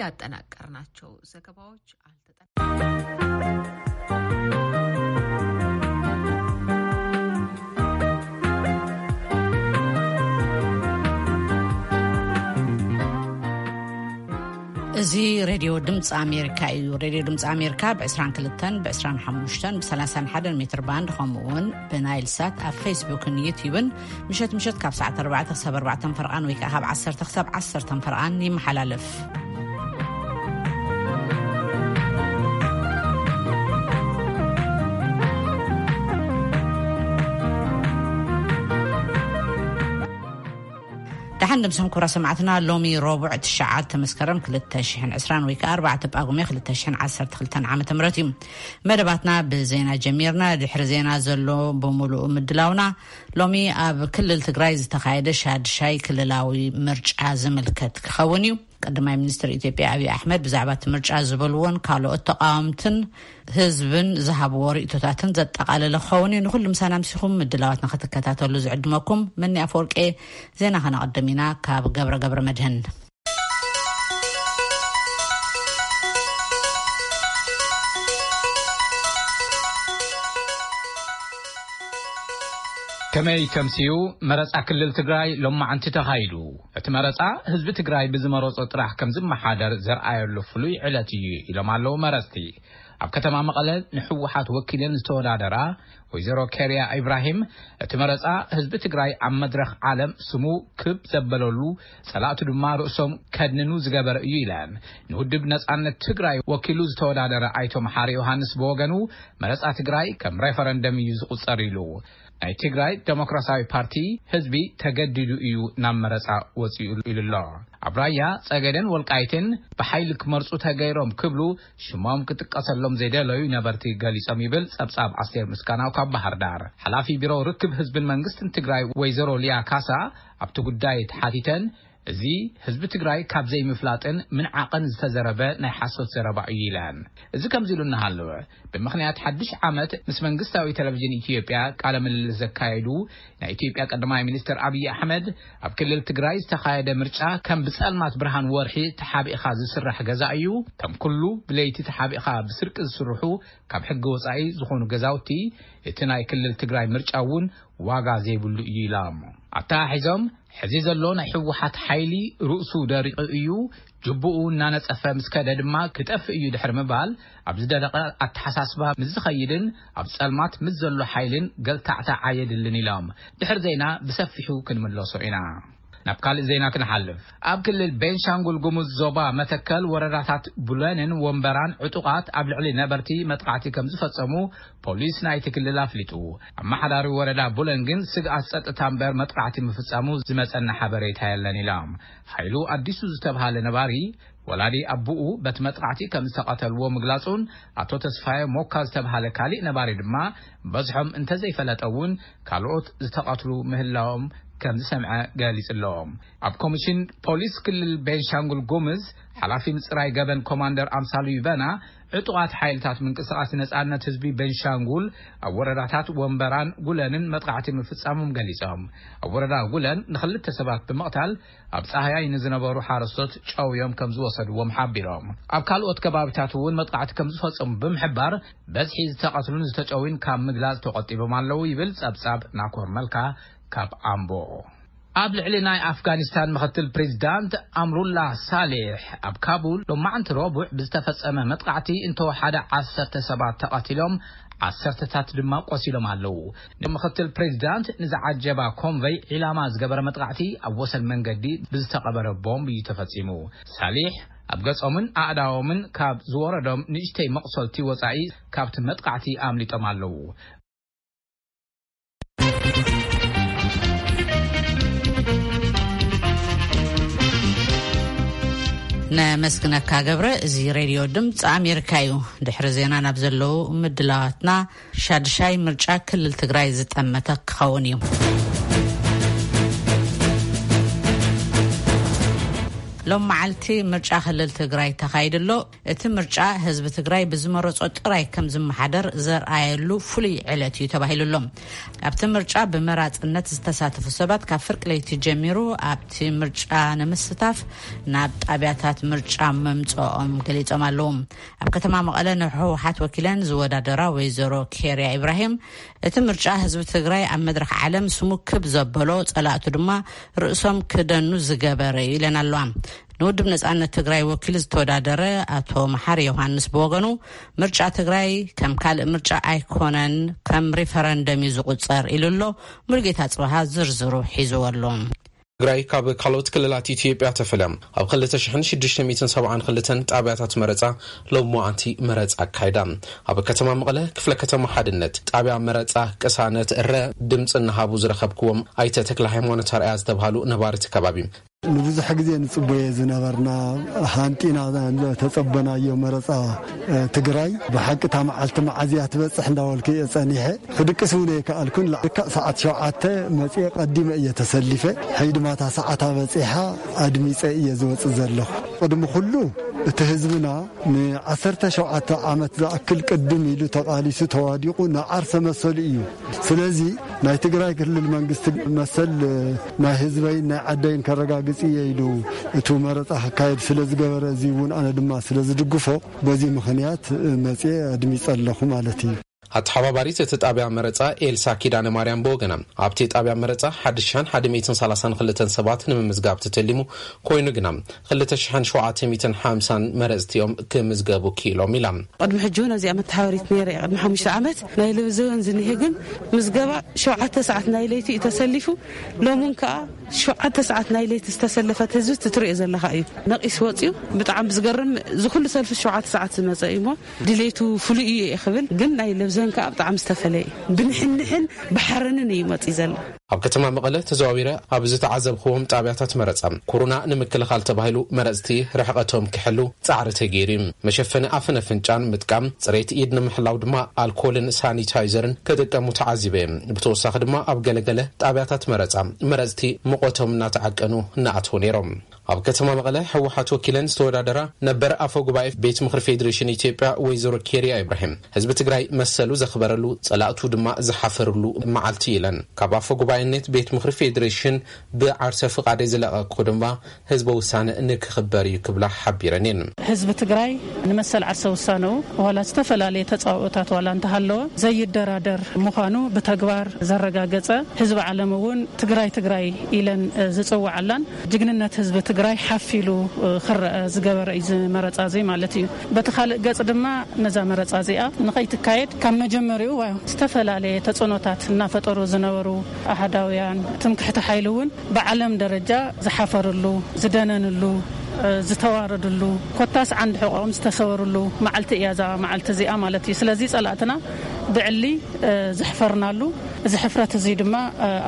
ያጠናቀርናቸው ዘገባዎች አልተጠናቀቁም። እዚ ሬድዮ ድምፂ ኣሜሪካ እዩ። ሬድዮ ድምፂ ኣሜሪካ ብ22፣ ብ25፣ ብ31 ሜትር ባንድ፣ ከምኡ እውን ብናይል ሳት ኣብ ፌስቡክን ዩትዩብን ምሸት ምሸት ካብ ሰዓት ኣርባዕተ ክሳብ ኣርባዕተ ፈርቓን ወይ ከዓ ካብ ዓሰርተ ክሳብ ዓሰርተ ፈርቓን ይመሓላለፍ። ደሓን ድምስኹም ክቡራ ሰማዕትና። ሎሚ ረቡዕ ትሽዓተ መስከረም ክልተ ሽሕን ዕስራን ወይ ከዓ ኣርባዕተ ጳጉሜ ክልተ ሽሕን ዓሰርተ ክልተን ዓመተ ምህረት እዩ። መደባትና ብዜና ጀሚርና። ድሕሪ ዜና ዘሎ ብምሉኡ ምድላውና ሎሚ ኣብ ክልል ትግራይ ዝተኻየደ ሻድሻይ ክልላዊ ምርጫ ዝምልከት ክኸውን እዩ። ቀዳማይ ሚኒስትር ኢትዮጵያ ኣብይ ኣሕመድ ብዛዕባ እቲ ምርጫ ዝበልዎን ካልኦት ተቃወምትን ህዝብን ዝሃብዎ ርእይቶታትን ዘጠቓለለ ክኸውን እዩ። ንኹሉ ምሳና ምሲኹም ምድላዋትና ክትከታተሉ ዝዕድመኩም መኒ ኣፈወርቄ። ዜና ከነቐድም ኢና ካብ ገብረ ገብረ መድህን። ከመይ ተምስዩ? መረጻ ክልል ትግራይ ሎማዓንቲ ተኻይዱ። እቲ መረጻ ህዝቢ ትግራይ ብዝመረጾ ጥራሕ ከም ዝመሓደር ዘርኣየሉ ፍሉይ ዕለት እዩ ኢሎም ኣለዉ መረጽቲ። ኣብ ከተማ መቐለ ንህወሓት ወኪለን ዝተወዳደራ ወይዘሮ ኬርያ ኢብራሂም፣ እቲ መረጻ ህዝቢ ትግራይ ኣብ መድረኽ ዓለም ስሙ ክብ ዘበለሉ፣ ጸላእቱ ድማ ርእሶም ከድንኑ ዝገበረ እዩ ኢለን። ንውድብ ነጻነት ትግራይ ወኪሉ ዝተወዳደረ ኣይቶ መሓሪ ዮሃንስ ብወገኑ፣ መረጻ ትግራይ ከም ሬፈረንደም እዩ ዝቑጸር ኢሉ። ናይ ትግራይ ዴሞክራሲያዊ ፓርቲ ህዝቢ ተገዲዱ እዩ ናብ መረጻ ወጺኡ ኢሉ ኣሎ። ኣብ ራያ፣ ጸገዴን ወልቃይትን ብሓይሊ ክመርጹ ተገይሮም ክብሉ ሽሞም ክጥቀሰሎም ዘይደለዩ ነበርቲ ገሊጾም ይብል ጸብጻብ ኣስቴር ምስጋናው ካብ ባህር ዳር። ሓላፊ ቢሮ ርክብ ህዝብን መንግስትን ትግራይ ወይዘሮ ሊያ ካሳ ኣብቲ ጉዳይ ተሓቲተን፣ እዚ ህዝቢ ትግራይ ካብ ዘይምፍላጥን ምንዓቕን ዝተዘረበ ናይ ሓሶት ዘረባ እዩ ኢለን። እዚ ከምዚ ኢሉ እናሃለወ፣ ብምኽንያት ሓድሽ ዓመት ምስ መንግስታዊ ቴሌቪዥን ኢትዮጵያ ቃለ ምልልስ ዘካየዱ ናይ ኢትዮጵያ ቀዳማይ ሚኒስትር ኣብይ ኣሕመድ፣ ኣብ ክልል ትግራይ ዝተኻየደ ምርጫ ከም ብጸልማት ብርሃን ወርሒ ተሓቢእኻ ዝስራሕ ገዛ እዩ። ከም ኩሉ ብለይቲ ተሓቢእኻ ብስርቂ ዝስርሑ ካብ ሕጊ ወጻኢ ዝኾኑ ገዛውቲ፣ እቲ ናይ ክልል ትግራይ ምርጫ እውን ዋጋ ዘይብሉ እዩ ኢሎም። ኣተሓሒዞም፣ ሕዚ ዘሎ ናይ ህወሓት ሓይሊ ርእሱ ደሪቑ እዩ፣ ጅቡኡ እናነጸፈ ምስ ከደ ድማ ክጠፍእ እዩ ድሕሪ ምባል፣ ኣብ ዝደረቐ ኣተሓሳስባ ምስ ዝኸይድን ኣብ ጸልማት ምስ ዘሎ ሓይልን ገልታዕታዕ ኣየድልን ኢሎም። ድሕሪ ዜና ብሰፊሑ ክንምለሶ ኢና። ናብ ካልእ ዜና ክንሓልፍ። ኣብ ክልል ቤንሻንጉል ጉሙዝ ዞባ መተከል ወረዳታት ቡለንን ወንበራን ዕጡቓት ኣብ ልዕሊ ነበርቲ መጥቃዕቲ ከም ዝፈጸሙ ፖሊስ ናይቲ ክልል ኣፍሊጡ። ኣመሓዳሪ ወረዳ ቡለን ግን ስግኣት ጸጥታ እምበር መጥቃዕቲ ምፍጻሙ ዝመጸና ሓበሬታ የለን ኢሎም። ሓይሉ ኣዲሱ ዝተብሃለ ነባሪ ወላዲ ኣቡኡ በቲ መጥቃዕቲ ከም ዝተቐተልዎ ምግላጹን፣ ኣቶ ተስፋየ ሞካ ዝተብሃለ ካሊእ ነባሪ ድማ በዝሖም እንተዘይፈለጠ እውን ካልኦት ዝተቐትሉ ምህላዎም ከም ዝሰምዐ ገሊጹ ኣሎ። ኣብ ኮሚሽን ፖሊስ ክልል ቤንሻንጉል ጉምዝ ሓላፊ ምጽራይ ገበን ኮማንደር ኣምሳሉ ይበና፣ ዕጡቓት ሓይልታት ምንቅስቓስ ነጻነት ህዝቢ ቤንሻንጉል ኣብ ወረዳታት ወንበራን ጉለንን መጥቃዕቲ ምፍጻሞም ገሊጾም። ኣብ ወረዳ ጉለን ንኽልተ ሰባት ብምቕታል፣ ኣብ ጻህያይ ንዝነበሩ ሓረስቶት ጨውዮም ከም ዝወሰድዎም ሓቢሮም። ኣብ ካልኦት ከባቢታት እውን መጥቃዕቲ ከም ዝፈጸሙ ብምሕባር፣ በዝሒ ዝተቐትሉን ዝተጨውዩን ካብ ምግላጽ ተቖጢቦም ኣለዉ ይብል ጸብጻብ ናኮር መልካ ካብ ኣምቦ። ኣብ ልዕሊ ናይ ኣፍጋኒስታን ምኽትል ፕሬዚዳንት ኣምሩላ ሳሌሕ ኣብ ካቡል ሎማዕንቲ ረቡዕ ብዝተፈጸመ መጥቃዕቲ እንተወሓደ ዓሰርተ ሰባት ተቐቲሎም፣ ዓሰርተታት ድማ ቆሲሎም ኣለዉ። ንምኽትል ፕሬዚዳንት ንዝዓጀባ ኮንቨይ ዒላማ ዝገበረ መጥቃዕቲ ኣብ ወሰን መንገዲ ብዝተቐበረ ቦምብ እዩ ተፈጺሙ። ሳሊሕ ኣብ ገጾምን ኣእዳዎምን ካብ ዝወረዶም ንእሽተይ መቑሰልቲ ወጻኢ ካብቲ መጥቃዕቲ ኣምሊጦም ኣለዉ። ነመስግነካ ገብረ። እዚ ሬድዮ ድምፂ ኣሜሪካ እዩ። ድሕሪ ዜና ናብ ዘለዉ ምድላዋትና፣ ሻድሻይ ምርጫ ክልል ትግራይ ዝጠመተ ክኸውን እዩ። ሎም መዓልቲ ምርጫ ክልል ትግራይ ተኻይዱ ኣሎ። እቲ ምርጫ ህዝቢ ትግራይ ብዝመረጾ ጥራይ ከም ዝመሓደር ዘርኣየሉ ፍሉይ ዕለት እዩ ተባሂሉ ኣሎ። ኣብቲ ምርጫ ብመራጽነት ዝተሳተፉ ሰባት ካብ ፍርቂ ለይቲ ጀሚሩ ኣብቲ ምርጫ ንምስታፍ ናብ ጣብያታት ምርጫ ምምጽኦም ገሊጾም ኣለዉ። ኣብ ከተማ መቐለ ንህወሓት ወኪለን ዝወዳደራ ወይዘሮ ኬርያ ኢብራሂም፣ እቲ ምርጫ ህዝቢ ትግራይ ኣብ መድረኽ ዓለም ስሙ ክብ ዘበሎ፣ ጸላእቱ ድማ ርእሶም ክደኑ ዝገበረ እዩ ኢለን ኣለዋ። ንውድብ ነጻነት ትግራይ ወኪሉ ዝተወዳደረ ኣቶ መሓሪ ዮሃንስ ብወገኑ፣ ምርጫ ትግራይ ከም ካልእ ምርጫ ኣይኮነን፣ ከም ሪፈረንደም እዩ ዝቑጸር ኢሉ ኣሎ። ሙሉጌታ ጽበሃ ዝርዝሩ ሒዝዎ ኣሎ። ትግራይ ካብ ካልኦት ክልላት ኢትዮጵያ ተፈልያ ኣብ ክልተ ሽሕን ሽዱሽተ ሚእትን ሰብዓን ክልተን ጣብያታት መረፃ ሎማዓንቲ መረፃ ኣካይዳ። ኣብ ከተማ መቐለ ክፍለ ከተማ ሓድነት ጣብያ መረፃ ቅሳነት እረ ድምፂ እናሃቡ ዝረኸብክዎም ኣይተ ተክለ ሃይማኖት ኣርኣያ ዝተባሃሉ ነባርቲ ከባቢ፣ ንብዙሕ ግዜ ንጽበዮ ዝነበርና፣ ሃንጢና ተጸበናዮ መረጻ ትግራይ። ብሓቂ እታ መዓልቲ መዓዝያ ትበጽሕ እንዳበልኩ እየ ጸኒሐ። ክድቅስ እውን ኣይከኣልኩን። ልክዕ ሰዓት ሸውዓተ መጽየ ቀዲመ እየ ተሰሊፈ። ሕጂ ድማ እታ ሰዓታ በጺሓ ኣድሚጸ እየ ዝወጽእ ዘለኹ። ቅድሚ ኩሉ እቲ ህዝብና ንዓሰርተ ሸውዓተ ዓመት ዝኣክል ቅድም ኢሉ ተቓሊሱ ተዋዲቑ ንዓርሰ መሰሉ እዩ። ስለዚ ናይ ትግራይ ክልል መንግስቲ መሰል ናይ ህዝበይን ናይ ዓደይን ከረጋግጽ እየ ኢሉ እቱ መረጻ ክካየድ ስለ ዝገበረ፣ እዚ እውን ኣነ ድማ ስለ ዝድግፎ፣ በዚ ምኽንያት መጽየ ኣድሚጸ ኣለኹ ማለት እዩ። ኣተሓባባሪት እቲ ጣብያ መረጻ ኤልሳ ኪዳነ ማርያም ብወገና፣ ኣብቲ ጣብያ መረጻ ሓድሽን ሓደ ሚእትን ሰላሳን ክልተን ሰባት ንምምዝጋብ ተተሊሙ ኮይኑ ግና፣ ክልተ ሽሕን ሸውዓተ ሚእትን ሓምሳን መረጽቲ እዮም ክምዝገቡ ክኢሎም ኢላ። ቅድሚ ሕጂ እውን ኣብዚኣ መተሓባሪት ነይረ እየ። ቅድሚ ሓሙሽተ ዓመት ናይ ለብዘ እውን ዝኒሄ ግን ምዝገባ ሸውዓተ ሰዓት ናይ ለይቲ እዩ ተሰሊፉ። ሎሚ እውን ከዓ ሸውዓተ ሰዓት ናይ ለይቲ ዝተሰለፈት ህዝቢ ትትሪኦ ዘለኻ እዩ። ነቂስ ወፂኡ ብጣዕሚ ብዝገርም ዝኩሉ ሰልፊ ሸውዓተ ሰዓት ዝመፀ እዩ እሞ ድሌቱ ፍሉይ እዩ እየ ክብል፣ ግን ናይ ለብዘን ከዓ ብጣዕሚ ዝተፈለየ እዩ። ብንሕንሕን ብሓረንን እዩ መፂኡ ዘሎ። ኣብ ከተማ መቐለ ተዘዋዊረ ኣብ ዝተዓዘብክዎም ጣብያታት መረፃ፣ ኮሮና ንምክልኻል ተባሂሉ መረፅቲ ርሕቐቶም ክሕሉ ፃዕሪ ተገይሩ እዩ። መሸፈኒ ኣፍን ኣፍንጫን ምጥቃም፣ ፅሬት ኢድ ንምሕላው ድማ ኣልኮልን ሳኒታይዘርን ክጥቀሙ ተዓዚበ እየ። ብተወሳኺ ድማ ኣብ ገለገለ ጣብያታት መረፃ መረፅቲ ሙቐቶም እናተዓቀኑ እናኣተዉ ነይሮም። ኣብ ከተማ መቐለ ህወሓት ወኪለን ዝተወዳደራ ነበር ኣፈ ጉባኤ ቤት ምኽሪ ፌዴሬሽን ኢትዮጵያ ወይዘሮ ኬርያ ኢብራሂም፣ ህዝቢ ትግራይ መሰሉ ዘኽበረሉ፣ ጸላእቱ ድማ ዝሓፈርሉ መዓልቲ ኢለን። ካብ ኣፈ ጉባኤነት ቤት ምኽሪ ፌዴሬሽን ብዓርሰ ፍቓደይ ዝለቐቅኩ ድማ ህዝበ ውሳነ ንክኽበር እዩ ክብላ ሓቢረን እየን። ህዝቢ ትግራይ ንመሰል ዓርሰ ውሳነኡ ዋላ ዝተፈላለየ ተጻብኦታት ዋላ እንተሃለወ ዘይደራደር ምዃኑ ብተግባር ዘረጋገጸ፣ ህዝቢ ዓለም እውን ትግራይ ትግራይ ኢለን ዝጽውዓላን ጅግንነት ህዝቢ ትግራይ ሓፍ ኢሉ ክረአ ዝገበረ እዩ እዚ መረጻ እዚ ማለት እዩ። በቲ ካልእ ገጽ ድማ ነዛ መረጻ እዚኣ ንኸይትካየድ ካብ መጀመሪኡ ዋ-፣ ዝተፈላለየ ተጽዕኖታት እናፈጠሩ ዝነበሩ ኣሃዳውያን ትምክሕቲ ሓይሊ እውን ብዓለም ደረጃ ዝሓፈርሉ፣ ዝደነንሉ፣ ዝተዋረድሉ፣ ኮታስ ዓንዲ ሕቖኦም ዝተሰበርሉ መዓልቲ እያ እዛ መዓልቲ እዚኣ ማለት እዩ። ስለዚ ጸላእትና ብዕሊ ዘሕፈርናሉ፣ እዚ ሕፍረት እዚ ድማ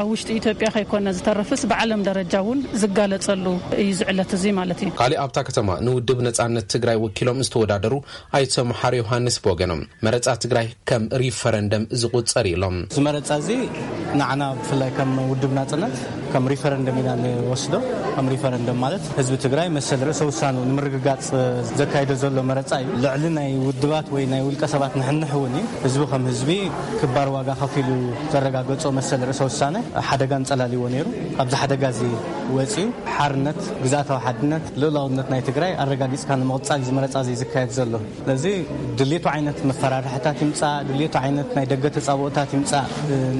ኣብ ውሽጢ ኢትዮጵያ ከይኮነ ዝተርፍስ ብዓለም ደረጃ እውን ዝጋለጸሉ እዩ እዚ ዕለት እዚ ማለት እዩ። ካሊእ ኣብታ ከተማ ንውድብ ነጻነት ትግራይ ወኪሎም ዝተወዳደሩ ኣይተ መሓሪ ዮሃንስ ብወገኖም፣ መረጻ ትግራይ ከም ሪፈረንደም ዝቑጸር እዩ ኢሎም። እዚ መረጻ እዚ ንዓና ብፍላይ ከም ውድብ ናጽነት ከም ሪፈረንደም ኢና ንወስዶ። ከም ሪፈረንደም ማለት ህዝቢ ትግራይ መሰል ርእሰ ውሳኑ ንምርግጋጽ ዘካይዶ ዘሎ መረጻ እዩ። ልዕሊ ናይ ውድባት ወይ ናይ ውልቀ ሰባት ንሕንሕ እውን እዩ። ህዝቢ ከም ህዝቢ ክባር ዋጋ ከፊሉ ዘረጋገጾ መሰል ርእሰ ውሳነ ሓደጋ እንጸላልዎ ነይሩ። ኣብዚ ሓደጋ እዚ ወጺኡ ሓርነት፣ ግዝኣታዊ ሓድነት፣ ልኡላውነት ናይ ትግራይ ኣረጋጊጽካ ንምቕጻል እዩ እዚ መረጻ እዚ ዝካየድ ዘሎ። ስለዚ ድሌቱ ዓይነት መፈራርሕታት ይምጻእ፣ ድሌቱ ዓይነት ናይ ደገ ተጻብኦታት ይምጻእ፣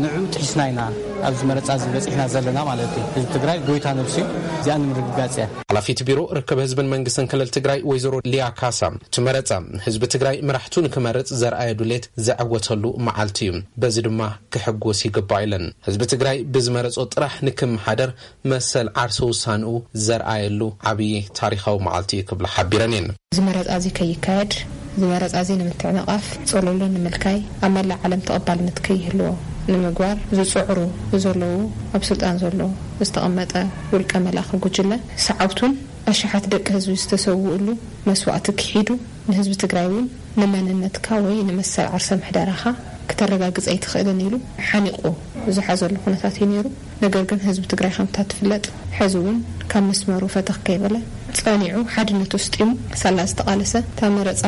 ንዑ ጥሒስና ኢና ኣብዚ መረጻ እዚ በጺሕና ዘለና ማለት እዩ። ህዝቢ ትግራይ ጎይታ ነብሱ እዩ። እዚኣ ንምርግጋጽ እያ። ሓላፊት ቢሮ ርክብ ህዝብን መንግስትን ክልል ትግራይ ወይዘሮ ሊያ ካሳ፣ እቲ መረጻ ህዝቢ ትግራይ መራሕቱ ንክመርጽ ዘርኣየ ድሌት ዘዐወተሉ መዓልቲ እዩ። በዚ ድማ ክሕጎስ ይግባእ ኢለን። ህዝቢ ትግራይ ብዝመረጾ ጥራሕ ንክመሓደር መሰል ዓርሰ ውሳንኡ ዘርኣየሉ ዓብዪ ታሪኻዊ መዓልቲ እዩ ክብላ ሓቢረን እየን። እዚ መረጻ እዚ ከይካየድ፣ እዚ መረጻ እዚ ንምትዕንቓፍ፣ ጸለሎ ንምልካይ፣ ኣብ መላእ ዓለም ተቐባልነት ከይህልዎ ንምግባር ዝጽዕሩ ዘለዉ፣ ኣብ ስልጣን ዘሎ ዝተቐመጠ ውልቀ መላኺ ጉጅለ፣ ሰዓብቱን ኣሽሓት ደቂ ህዝቢ ዝተሰውእሉ መስዋእቲ ክሒዱ፣ ንህዝቢ ትግራይ እውን ንመንነትካ ወይ ንመሰል ዓርሰ ምሕደራኻ ክተረጋግጽ ኣይትኽእልን ኢሉ ሓኒቑ ዝሓዘሉ ኩነታት እዩ ነይሩ። ነገር ግን ህዝቢ ትግራይ ከምታ ትፍለጥ ሕዚ እውን ካብ መስመሩ ፈተኽ ከይበለ ጸኒዑ ሓድነቱ ስጢሙ ሳላ ዝተቓለሰ፣ እታ መረጻ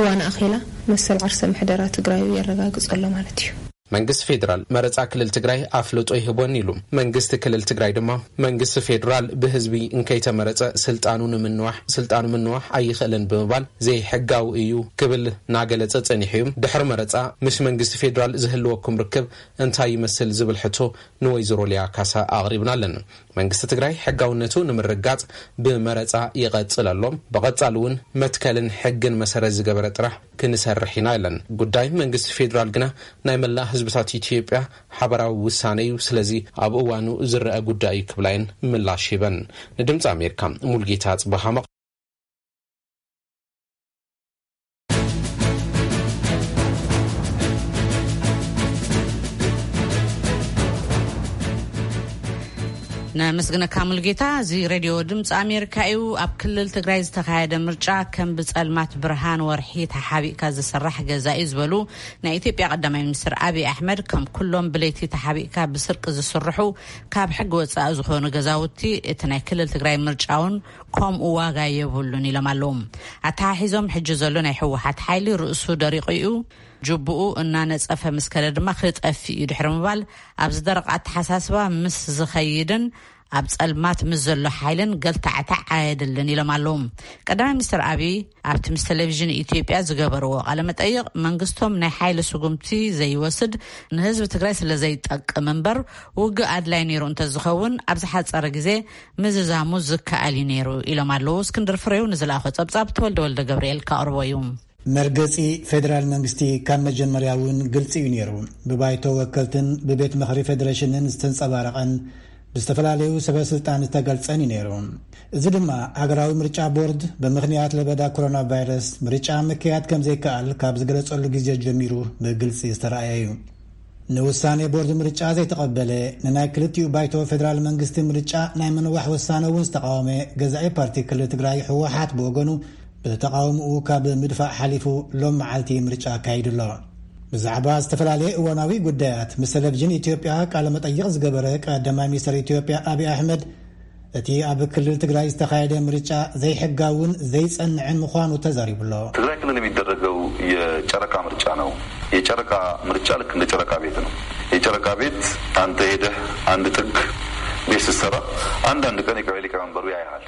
እዋን ኣኺላ መሰል ዓርሰ ምሕደራ ትግራዩ የረጋግጾ ኣሎ ማለት እዩ። መንግስቲ ፌዴራል መረጻ ክልል ትግራይ ኣፍልጦ ይህቦን ኢሉ። መንግስቲ ክልል ትግራይ ድማ መንግስቲ ፌዴራል ብህዝቢ እንከይተመረጸ ስልጣኑ ንምንዋሕ፣ ስልጣኑ ምንዋሕ ኣይኽእልን ብምባል ዘይሕጋዊ እዩ ክብል ናገለጸ ጸኒሑ እዩ። ድሕሪ መረጻ ምስ መንግስቲ ፌዴራል ዝህልወኩም ርክብ እንታይ ይመስል ዝብል ሕቶ ንወይዘሮ ሊያ ካሳ ኣቕሪብናለን። መንግስቲ ትግራይ ሕጋውነቱ ንምርጋጽ ብመረጻ ይቐጽል ኣሎ። ብቐጻሊ እውን መትከልን ሕግን መሰረት ዝገበረ ጥራሕ ክንሰርሕ ኢና ኢለን። ጉዳይ መንግስቲ ፌዴራል ግና ናይ መላእ ህዝብታት ኢትዮጵያ ሓበራዊ ውሳነ እዩ። ስለዚ ኣብ እዋኑ ዝረአ ጉዳይ እዩ ክብላ እየን ምላሽ ሂበን። ንድምፂ ኣሜሪካ ሙልጌታ ጽባሃ መቕ- ነመስግነካ ሙልጌታ። እዚ ሬድዮ ድምፂ ኣሜሪካ እዩ። ኣብ ክልል ትግራይ ዝተኻየደ ምርጫ ከም ብፀልማት ብርሃን ወርሒ ተሓቢእካ ዝስራሕ ገዛ እዩ ዝበሉ ናይ ኢትዮጵያ ቀዳማይ ሚኒስትር ኣብይ ኣሕመድ፣ ከም ኩሎም ብለይቲ ተሓቢእካ ብስርቂ ዝስርሑ ካብ ሕጊ ወፃኢ ዝኾኑ ገዛውቲ እቲ ናይ ክልል ትግራይ ምርጫ እውን ከምኡ ዋጋ የብሉን ኢሎም ኣለዉ። ኣተሓሒዞም ሕጂ ዘሎ ናይ ህወሓት ሓይሊ ርእሱ ደሪቑ እዩ፣ ጅቡኡ እናነፀፈ ምስ ከደ ድማ ክጠፍእ እዩ ድሕሪ ምባል ኣብዚ ደረቕ ኣተሓሳስባ ምስ ዝኸይድን ኣብ ጸልማት ምስ ዘሎ ሓይልን ገልታዕታዕ ኣየድልን ኢሎም ኣለዉ። ቀዳማይ ሚኒስትር ኣብይ ኣብቲ ምስ ቴሌቪዥን ኢትዮጵያ ዝገበርዎ ቃለ መጠይቕ መንግስቶም ናይ ሓይሊ ስጉምቲ ዘይወስድ ንህዝቢ ትግራይ ስለ ዘይጠቅም እምበር ውግእ ኣድላይ ነይሩ እንተዝኸውን ኣብ ዝሓጸረ ግዜ ምዝዛሙ ዝከኣል እዩ ነይሩ ኢሎም ኣለዉ። እስክንድር ፍሬው ንዝለኣኾ ጸብጻብ ተወልደ ወልደ ገብርኤል ከቕርቦ እዩ። መርገጺ ፌደራል መንግስቲ ካብ መጀመርያ እውን ግልጺ እዩ ነይሩ። ብባይቶ ወከልትን ብቤት ምኽሪ ፌደሬሽንን ዝተንጸባረቐን ብዝተፈላለዩ ሰበ ስልጣን ዝተገልጸን እዩ ነይሩ። እዚ ድማ ሃገራዊ ምርጫ ቦርድ ብምኽንያት ለበዳ ኮሮና ቫይረስ ምርጫ ምክያድ ከም ዘይከኣል ካብ ዝገለጸሉ ግዜ ጀሚሩ ብግልጺ ዝተረኣየ እዩ። ንውሳኔ ቦርድ ምርጫ ዘይተቐበለ፣ ንናይ ክልቲኡ ባይቶ ፌደራል መንግስቲ ምርጫ ናይ ምንዋሕ ውሳነ እውን ዝተቃወመ ገዛኢ ፓርቲ ክልል ትግራይ ህወሓት ብወገኑ ብተቃውምኡ ካብ ምድፋእ ሓሊፉ ሎም መዓልቲ ምርጫ ኣካይዱ ኣሎ። ብዛዕባ ዝተፈላለየ እዋናዊ ጉዳያት ምስ ቴሌቪዥን ኢትዮጵያ ቃለ መጠይቕ ዝገበረ ቀዳማይ ሚኒስትር ኢትዮጵያ ኣብይ ኣሕመድ፣ እቲ ኣብ ክልል ትግራይ ዝተኻየደ ምርጫ ዘይሕጋውን ዘይጸንዕን ምዃኑ ተዛሪቡ ኣሎ። ትግራይ ክልል የሚደረገው የጨረቃ ምርጫ ነው። የጨረቃ ምርጫ ልክ እንደ ጨረቃ ቤት ነው። የጨረቃ ቤት አንተ ሄደህ አንድ ጥግ ቤት ስትሰራ አንዳንድ ቀን የቀበሌ ሊቀመንበሩ ያይሃል።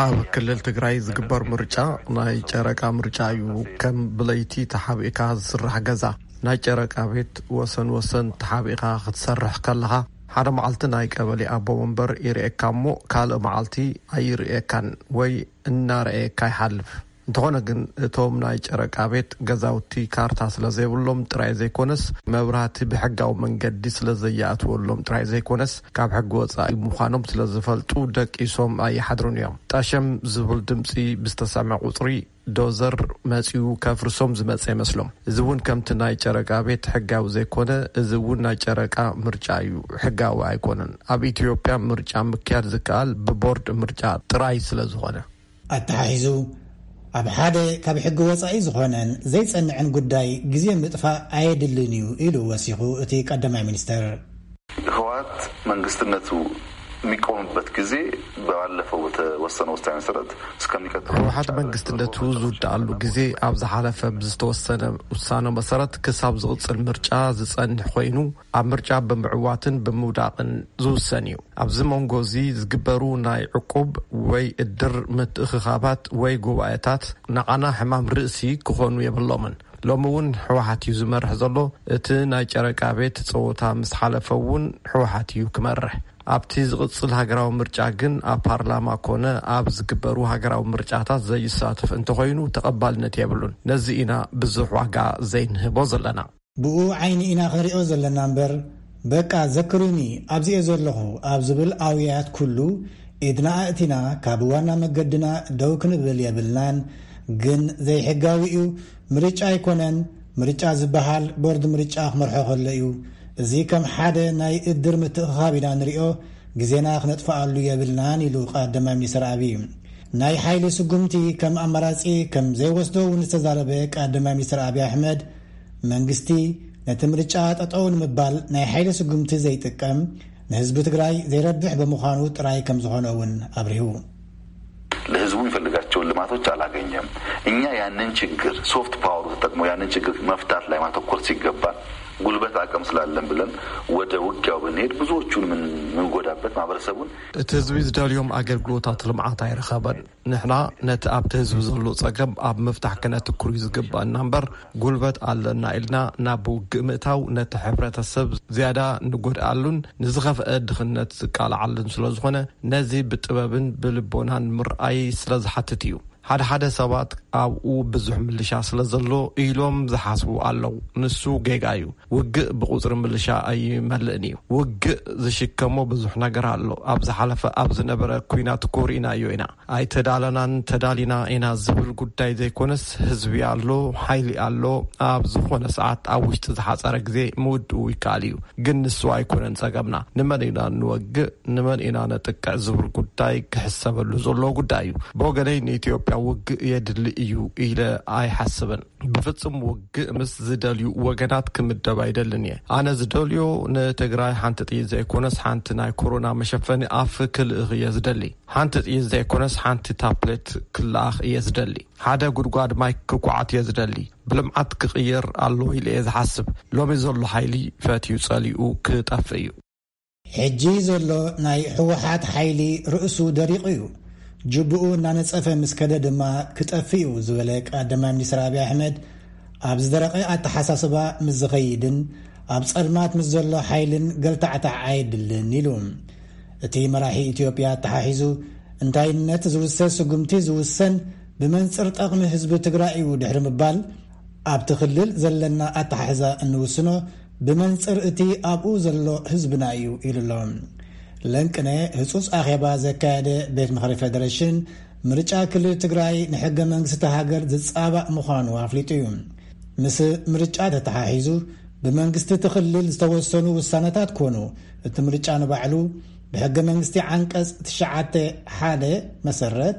ኣብ ክልል ትግራይ ዝግበር ምርጫ ናይ ጨረቃ ምርጫ እዩ። ከም ብለይቲ ተሓቢእካ ዝስራሕ ገዛ ናይ ጨረቃ ቤት ወሰን ወሰን ተሓቢእካ ክትሰርሕ ከለኻ ሓደ መዓልቲ ናይ ቀበሌ ኣቦ ወንበር ይርእየካ እሞ ካልእ መዓልቲ ኣይርእየካን ወይ እናረኣየካ ይሓልፍ። እንተኾነ ግን እቶም ናይ ጨረቃ ቤት ገዛውቲ ካርታ ስለ ዘይብሎም ጥራይ ዘይኮነስ መብራህቲ ብሕጋዊ መንገዲ ስለ ዘየኣትወሎም ጥራይ ዘይኮነስ ካብ ሕጊ ወፃኢ ምዃኖም ስለ ዝፈልጡ ደቂሶም ኣይሓድሩን እዮም። ጠሸም ዝብል ድምፂ ብዝተሰምዐ ቁፅሪ ዶዘር መፂኡ ከፍርሶም ዝመፀ ይመስሎም። እዚ እውን ከምቲ ናይ ጨረቃ ቤት ሕጋዊ ዘይኮነ፣ እዚ እውን ናይ ጨረቃ ምርጫ እዩ፣ ሕጋዊ ኣይኮነን። ኣብ ኢትዮጵያ ምርጫ ምክያድ ዝከኣል ብቦርድ ምርጫ ጥራይ ስለ ዝኾነ። ኣተሓሒዙ፣ ኣብ ሓደ ካብ ሕጊ ወጻኢ ዝኾነን ዘይጸንዕን ጉዳይ ግዜ ምጥፋእ ኣየድልን እዩ ኢሉ ወሲኹ እቲ ቀዳማይ ሚኒስተር። ህወሓት መንግስትነቱ የሚቆምበት ጊዜ ባለፈው በተወሰነ ውሳኔ መሰረት እስከሚቀጥለው ህወሓት መንግስትነቱ ዝውድኣሉ ግዜ ኣብ ዝሓለፈ ብዝተወሰነ ውሳነ መሰረት ክሳብ ዝቕጽል ምርጫ ዝጸንሕ ኮይኑ ኣብ ምርጫ ብምዕዋትን ብምውዳቕን ዝውሰን እዩ። ኣብዚ መንጎ እዚ ዝግበሩ ናይ ዕቁብ ወይ እድር ምትእኽኻባት ወይ ጉባኤታት ንዓና ሕማም ርእሲ ክኾኑ የብሎምን። ሎሚ እውን ህወሓት እዩ ዝመርሕ ዘሎ። እቲ ናይ ጨረቃ ቤት ፀወታ ምስ ሓለፈ እውን ህወሓት እዩ ክመርሕ። ኣብቲ ዝቕፅል ሃገራዊ ምርጫ ግን ኣብ ፓርላማ ኮነ ኣብ ዝግበሩ ሃገራዊ ምርጫታት ዘይሳተፍ እንተኾይኑ ተቐባልነት የብሉን። ነዚ ኢና ብዙሕ ዋጋ ዘይንህቦ ዘለና። ብኡ ዓይኒ ኢና ክንሪኦ ዘለና እምበር፣ በቃ ዘክሩኒ ኣብዚኤ ዘለኹ ኣብ ዝብል ኣውያት ኩሉ ኢድና ኣእቲና ካብ ዋና መገድና ደው ክንብል የብልናን። ግን ዘይሕጋዊ እዩ፣ ምርጫ ኣይኮነን። ምርጫ ዝበሃል ቦርድ ምርጫ ክመርሖ ከሎ እዩ። እዚ ከም ሓደ ናይ እድር ምትእኽኻብ ኢና ንሪኦ፣ ግዜና ክነጥፍኣሉ የብልናን ኢሉ ቀዳማይ ሚኒስትር ኣብይ። ናይ ሓይሊ ስጉምቲ ከም ኣማራጺ ከም ዘይወስዶ እውን ዝተዛረበ ቀዳማይ ሚኒስትር ኣብይ ኣሕመድ፣ መንግስቲ ነቲ ምርጫ ጠጠው ንምባል ናይ ሓይሊ ስጉምቲ ዘይጥቀም ንህዝቢ ትግራይ ዘይረብሕ ብምዃኑ ጥራይ ከም ዝኾነ እውን ኣብሪሁ። ለህዝቡ የሚፈልጋቸውን ልማቶች አላገኘም። እኛ ያንን ችግር፣ ሶፍት ፓወሩ ተጠቅሞ ያንን ችግር መፍታት ላይ ማተኮር ሲገባን፣ ጉልበት አቅም ስላለን ብለን ወደ ውጊያው ብንሄድ ብዙዎቹን ምን-፣ ምንጎዳበት ማህበረሰቡን። እቲ ህዝቢ ዝደልዮም ኣገልግሎታት ልምዓት ኣይረኸበን። ንሕና ነቲ ኣብቲ ህዝቢ ዘሎ ጸገም ኣብ ምፍታሕ ክነትኩር እዩ ዝግባእና እምበር፣ ጉልበት ኣለና ኢልና ናብ ውግእ ምእታው ነቲ ሕብረተሰብ ዝያዳ ንጎድኣሉን ንዝኸፍአ ድኽነት ዝቃልዓሉን ስለ ዝኾነ፣ ነዚ ብጥበብን ብልቦናን ምርኣይ ስለ ዝሓትት እዩ። ሓደ ሓደ ሰባት ኣብኡ ብዙሕ ምልሻ ስለ ዘሎ ኢሎም ዝሓስቡ ኣለዉ። ንሱ ጌጋ እዩ። ውግእ ብቁጽሪ ምልሻ ኣይመልእን እዩ። ውግእ ዝሽከሞ ብዙሕ ነገር ኣሎ። ኣብ ዝሓለፈ ኣብ ዝነበረ ኲናት እኮ ርኢናዮ ኢና። ኣይተዳለናን ተዳሊና ኢና ዝብል ጉዳይ ዘይኮነስ፣ ህዝቢ ኣሎ፣ ሓይሊ ኣሎ። ኣብ ዝኾነ ሰዓት ኣብ ውሽጢ ዝሓጸረ ግዜ ምውድኡ ይከኣል እዩ። ግን ንሱ ኣይኮነን ጸገምና። ንመን ኢና ንወግእ፣ ንመን ኢና ነጥቅዕ ዝብል ጉዳይ ክሕሰበሉ ዘለዎ ጉዳይ እዩ። ብወገነይ ንኢትዮጵያ ውግእ የድሊ እዩ ኢለ ኣይሓስብን። ብፍጹም ውግእ ምስ ዝደልዩ ወገናት ክምደብ ኣይደልን እየ። ኣነ ዝደልዮ ንትግራይ ሓንቲ ጥይት ዘይኮነስ ሓንቲ ናይ ኮሮና መሸፈኒ ኣፍ ክልእኽ እየ ዝደሊ። ሓንቲ ጥይት ዘይኮነስ ሓንቲ ታፕሌት ክልኣኽ እየ ዝደሊ። ሓደ ጉድጓድ ማይ ክኳዓት እየ ዝደሊ። ብልምዓት ክቕየር ኣለዎ ኢለ እየ ዝሓስብ። ሎሚ ዘሎ ሓይሊ ፈትዩ ጸሊኡ ክጠፍእ እዩ። ሕጂ ዘሎ ናይ ህወሓት ሓይሊ ርእሱ ደሪቑ እዩ። ጅብኡ እናነጸፈ ምስ ከደ ድማ ክጠፍእ እዩ ዝበለ ቀዳማይ ሚኒስትር ኣብይ ኣሕመድ፣ ኣብ ዝደረቐ ኣተሓሳስባ ምስ ዝኸይድን ኣብ ጸልማት ምስ ዘሎ ሓይልን ገልታዕታዕ ኣየድልን ኢሉ። እቲ መራሒ ኢትዮጵያ ኣተሓሒዙ፣ እንታይነት ዝውሰን ስጉምቲ ዝውሰን ብመንጽር ጠቕሚ ህዝቢ ትግራይ እዩ ድሕሪ ምባል፣ ኣብቲ ክልል ዘለና ኣተሓሕዛ እንውስኖ ብመንጽር እቲ ኣብኡ ዘሎ ህዝብና እዩ ኢሉ ኣሎ። ለንቅነ ህጹጽ ኣኼባ ዘካየደ ቤት ምኽሪ ፌደሬሽን፣ ምርጫ ክልል ትግራይ ንሕገ መንግስቲ ሃገር ዝጻባእ ምዃኑ ኣፍሊጡ እዩ። ምስ ምርጫ ተተሓሒዙ ብመንግስቲ እቲ ክልል ዝተወሰኑ ውሳነታት ኮኑ፣ እቲ ምርጫ ንባዕሉ ብሕገ መንግስቲ ዓንቀጽ ትሽዓተ ሓደ መሰረት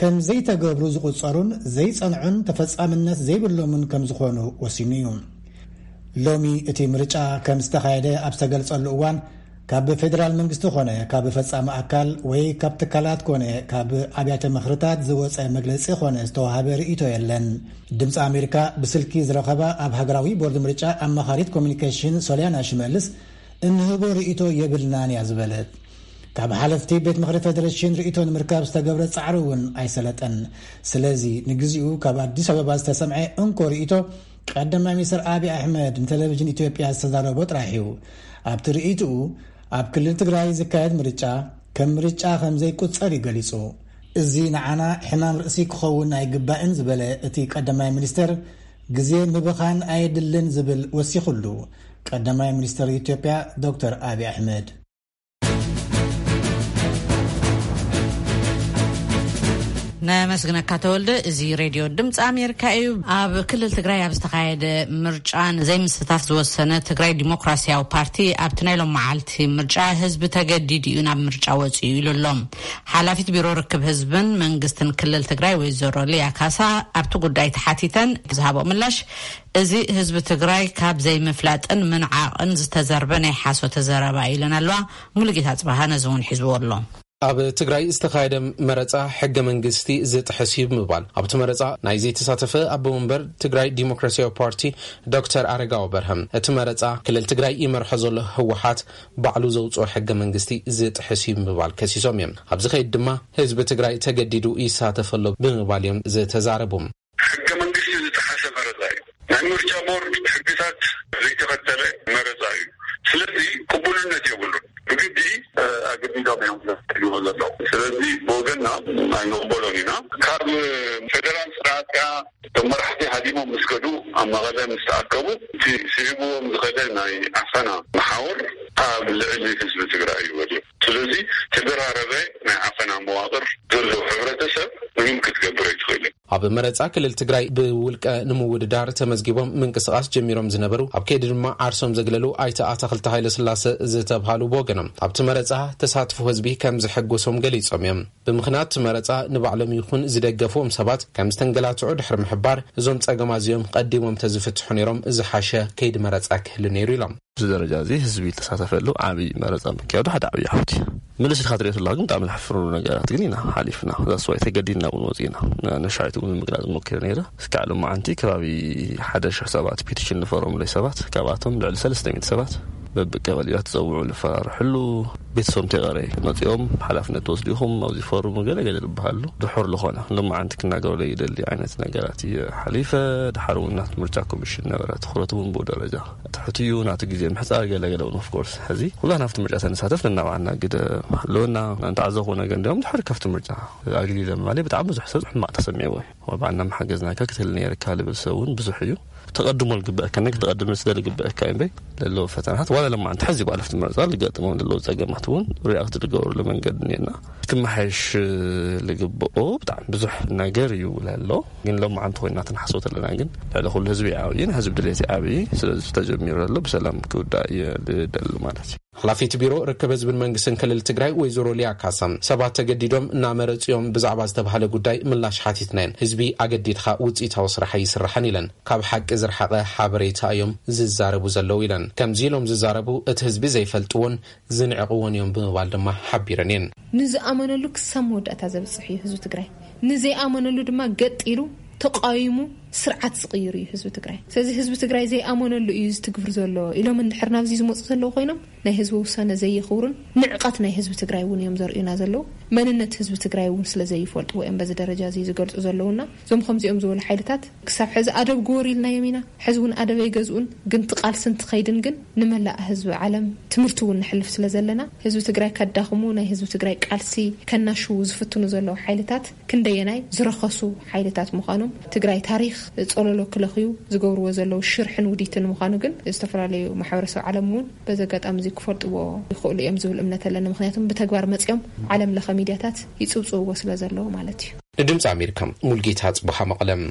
ከም ዘይተገብሩ ዝቑጸሩን ዘይጸንዑን ተፈጻምነት ዘይብሎምን ከም ዝኾኑ ወሲኑ እዩ። ሎሚ እቲ ምርጫ ከም ዝተኻየደ ኣብ ዝተገልጸሉ እዋን፣ ካብ ፌደራል መንግስቲ ኮነ ካብ ፈጻሚ ኣካል ወይ ካብ ትካላት ኮነ ካብ ኣብያተ ምኽርታት ዝወጸ መግለጺ ኮነ ዝተዋሃበ ርእይቶ የለን። ድምፂ ኣሜሪካ ብስልኪ ዝረኸባ ኣብ ሃገራዊ ቦርድ ምርጫ ኣማኻሪት ኮሚኒኬሽን ሶልያና ሽመልስ፣ እንህቦ ርእይቶ የብልናን እያ ዝበለት። ካብ ሓለፍቲ ቤት ምኽሪ ፌደሬሽን ርእይቶ ንምርካብ ዝተገብረ ጻዕሪ እውን ኣይሰለጠን። ስለዚ ንግዚኡ ካብ ኣዲስ ኣበባ ዝተሰምዐ እንኮ ርእይቶ ቀዳማይ ሚኒስትር ኣብይ ኣሕመድ ንቴሌቪዥን ኢትዮጵያ ዝተዛረቦ ጥራሕ እዩ። ኣብቲ ርእይትኡ፣ ኣብ ክልል ትግራይ ዝካየድ ምርጫ ከም ምርጫ ከም ዘይቁጸር እዩ ገሊጹ። እዚ ንዓና ሕማም ርእሲ ክኸውን ኣይግባእን ዝበለ እቲ ቀዳማይ ሚኒስትር፣ ግዜ ምብኻን ኣየድልን ዝብል ወሲኹሉ ቀዳማይ ሚኒስትር ኢትዮጵያ ዶክተር ኣብይ ኣሕመድ። ነመስግነካ ተወልደ። እዚ ሬድዮ ድምፂ ኣሜሪካ እዩ። ኣብ ክልል ትግራይ ኣብ ዝተኻየደ ምርጫ ንዘይምስታፍ ዝወሰነ ትግራይ ዲሞክራሲያዊ ፓርቲ፣ ኣብቲ ናይ ሎም መዓልቲ ምርጫ ህዝቢ ተገዲዱ እዩ ናብ ምርጫ ወፂኡ ኢሉ ኣሎ። ሓላፊት ቢሮ ርክብ ህዝብን መንግስትን ክልል ትግራይ ወይዘሮ ሊያ ካሳ ኣብቲ ጉዳይ ተሓቲተን ዝሃቦ ምላሽ፣ እዚ ህዝቢ ትግራይ ካብ ዘይምፍላጥን ምንዓቕን ዝተዘርበ ናይ ሓሶተ ዘረባ ኢለን ኣለዋ። ሙሉጌታ ጽባሃ ነዚ እውን ሒዝዎ ኣሎ። ኣብ ትግራይ ዝተኻየደ መረጻ ሕገ መንግስቲ ዝጥሕስ እዩ ብምባል፣ ኣብቲ መረጻ ናይ ዘይተሳተፈ ኣቦ መንበር ትግራይ ዲሞክራሲያዊ ፓርቲ ዶክተር ኣረጋዊ በርሀ፣ እቲ መረጻ ክልል ትግራይ ይመርሖ ዘሎ ህወሓት ባዕሉ ዘውፅኦ ሕገ መንግስቲ ዝጥሕስ እዩ ብምባል ከሲሶም እዮም። ኣብዚ ከይድ ድማ ህዝቢ ትግራይ ተገዲዱ ይሳተፍ ኣሎ ብምባል እዮም ዝተዛረቡ። ሕገ መንግስቲ ዝጠሓሰ መረፃ እዩ። ናይ ምርጫ ቦርድ ሕግታት ዘይተኸተለ መረፃ እዩ። ስለዚ ቅቡልነት የብሉን። ብግዲ፣ እ፣ ኣገዲዶም እዮም ዘትልዎ ዘለዉ። ስለዚ ብወገንና ኣይንቕበሎን ኢና። ካብ ፌደራል ስርዓት ከኣ እቶም መራሕቲ ሃዲሞም ምስ ከዱ ኣብ መቐለ ምስ ተኣከቡ፣ እቲ ስዒብዎም ዝኸደ ናይ ዓፈና መሓውር ኣብ ልዕሊ ህዝቢ ትግራይ እዩ ወዲቑ። ስለዚ ተደራረበ ናይ ዓፈና መዋቕር ዘለዎ ሕብረተሰብ ምንም ክትገብር ኣይትኽእልን። ኣብ መረጻ ክልል ትግራይ ብውልቀ ንምውድዳር ተመዝጊቦም ምንቅስቓስ ጀሚሮም ዝነበሩ፣ ኣብ ከይዲ ድማ ዓርሶም ዘግለሉ ኣይተ ኣታኽልቲ ሃይለስላሰ ዝተብሃሉ ብወገኖም፣ ኣብቲ መረጻ ተሳትፎ ህዝቢ ከም ዘሐጎሶም ገሊጾም እዮም። ብምኽንያት እቲ መረጻ ንባዕሎም ይኹን ዝደገፍዎም ሰባት ከም ዝተንገላትዑ ድሕሪ ምሕባር፣ እዞም ጸገማት እዚኦም ቀዲሞም ተዝፍትሑ ነይሮም ዝሓሸ ከይዲ መረጻ ክህሉ ነይሩ ኢሎም። ኣብዚ ደረጃ እዚ ህዝቢ ዝተሳተፈሉ ዓብዪ መረጻ ምክያዱ ሓደ ዓብዪ ዓወት እዩ። ምልስ ኢልካ ትሪኦ ተላ ግን ብጣዕሚ ዘሕፍሩ ነገራት ግን ኢና ሓሊፍና። ዛስ ዋይ ተገዲድና እውን ወፂና። ነሻይት እውን ምግላፅ ሞኪረ ነይረ። እስካዕ ሎማዓንቲ ከባቢ ሓደ ሽሕ ሰባት ፒቲሽን ዝፈረሙለይ ሰባት፣ ካብኣቶም ልዕሊ ሰለስተ ሚእቲ ሰባት በብቀበሌታት ዝፀውዑ ዝፈራርሕሉ፣ ቤተሰቦም ተይቀረ መፂኦም ሓላፍነት ተወስዲኹም ኣብዚ ፈርሙ ገለ ገለ ዝበሃሉ ድሑር ዝኾነ ሎማዓንቲ ክናገረሉ ይደሊ ዓይነት ነገራት እየ ሓሊፈ። ድሓር እውን ናት ምርጫ ኮሚሽን ነበረ ትኹረት እውን ብኡ ደረጃ ትሕት እዩ። ናቱ ግዜ ምሕፃር ገለ ገለ እውን ኦፍኮርስ ሕዚ ኩላ ናብቲ ምርጫ ተንሳተፍ ነናባዕና ግደ ኣለወና። እንተዓዘኹ ነገር እንዲኦም ድሕሪ ካብቲ ምርጫ ኣግሊለ ምባለይ ብጣዕሚ ብዙሕ ሰብ ሕማቕ ተሰሚዕዎ እዩ። ወባዕና መሓገዝናካ ክትህል ነይርካ ልብል ሰብ እውን ብዙሕ እዩ። ተቐድሞ ልግበአካ ነገር ተቐድሞ ስለ ልግበአካ እዩ እምበይ ለለዉ ፈተናታት ዋላ ለማዓንቲ ሕዚ ባለፍቲ ምርጫ ልገጥሞም ዘለዉ ጸገማት እውን ሪኣክት ልገብርሉ መንገዲ እኒአና ክመሓየሽ ልግብኦ ብጣዕሚ ብዙሕ ነገር እዩ ለሎ። ግን ሎማዓንቲ ኮይና ትንሓስቦ ተለና ግን ልዕሊ ኩሉ ህዝቢ ዓብይን ህዝቢ ድሌት ዓብይ ስለዚ ተጀሚሩ ዘሎ ብሰላም ክውዳእ እየ ልደሊ ማለት እዩ። ሓላፊት ቢሮ ርክብ ህዝብን መንግስትን ክልል ትግራይ ወይዘሮ ሊያ ካሳ ሰባት ተገዲዶም እናመረፅዮም ብዛዕባ ዝተባሃለ ጉዳይ ምላሽ ሓቲትናየን። ህዝቢ ኣገዲድካ ውፅኢታዊ ስራሕ ኣይስራሕን ኢለን። ካብ ሓቂ ዝረሓቐ ሓበሬታ እዮም ዝዛረቡ ዘለዉ ኢለን። ከምዚ ኢሎም ዝዛረቡ እቲ ህዝቢ ዘይፈልጥዎን ዝንዕቕዎን እዮም ብምባል ድማ ሓቢረን እየን። ንዝኣመነሉ ክሳብ መወዳእታ ዘብፅሕ እዩ ህዝቢ ትግራይ። ንዘይኣመነሉ ድማ ገጥ ኢሉ ተቃዊሙ ስርዓት ዝቕይር እዩ ህዝቢ ትግራይ። ስለዚ ህዝቢ ትግራይ ዘይኣመነሉ እዩ ዝትግብር ዘሎ ኢሎም እንድሕር ናብዚ ዝመፁ ዘለዉ ኮይኖም ናይ ህዝቢ ውሳነ ዘየኽብሩን ንዕቐት ናይ ህዝቢ ትግራይ እውን እዮም ዘርእዩና ዘለዉ። መንነት ህዝቢ ትግራይ እውን ስለ ዘይፈልጥዎ እዮም በዚ ደረጃ እዚ ዝገልፁ ዘለዉና። እዞም ከምዚኦም ዝበሉ ሓይልታት ክሳብ ሕዚ ኣደብ ግበሩ ኢልናዮም ኢና። ሕዚ እውን ኣደብ ኣይገዝኡን። ግን እቲ ቃልሲ እንትኸይድን ግን ንመላእ ህዝቢ ዓለም ትምህርቲ እውን ንሕልፍ ስለ ዘለና ህዝቢ ትግራይ ከዳኽሙ ናይ ህዝቢ ትግራይ ቃልሲ ከናሽዉ ዝፍትኑ ዘለዉ ሓይልታት ክንደየናይ ዝረኸሱ ሓይልታት ምዃኖም ትግራይ ታሪኽ ጸለሎ ክለኽዩ ዝገብርዎ ዘለዉ ሽርሕን ውዲትን ምዃኑ ግን ዝተፈላለዩ ማሕበረሰብ ዓለም እውን በዚ ኣጋጣሚ እዚ ክፈልጥዎ ይኽእሉ እዮም ዝብል እምነት ኣለኒ። ምኽንያቱም ብተግባር መጺኦም ዓለም ለኸ ሚድያታት ይጽብጽብዎ ስለ ዘለዉ ማለት እዩ። ንድምፂ ኣሜሪካ ሙልጌታ ጽቡሓ መቐለም።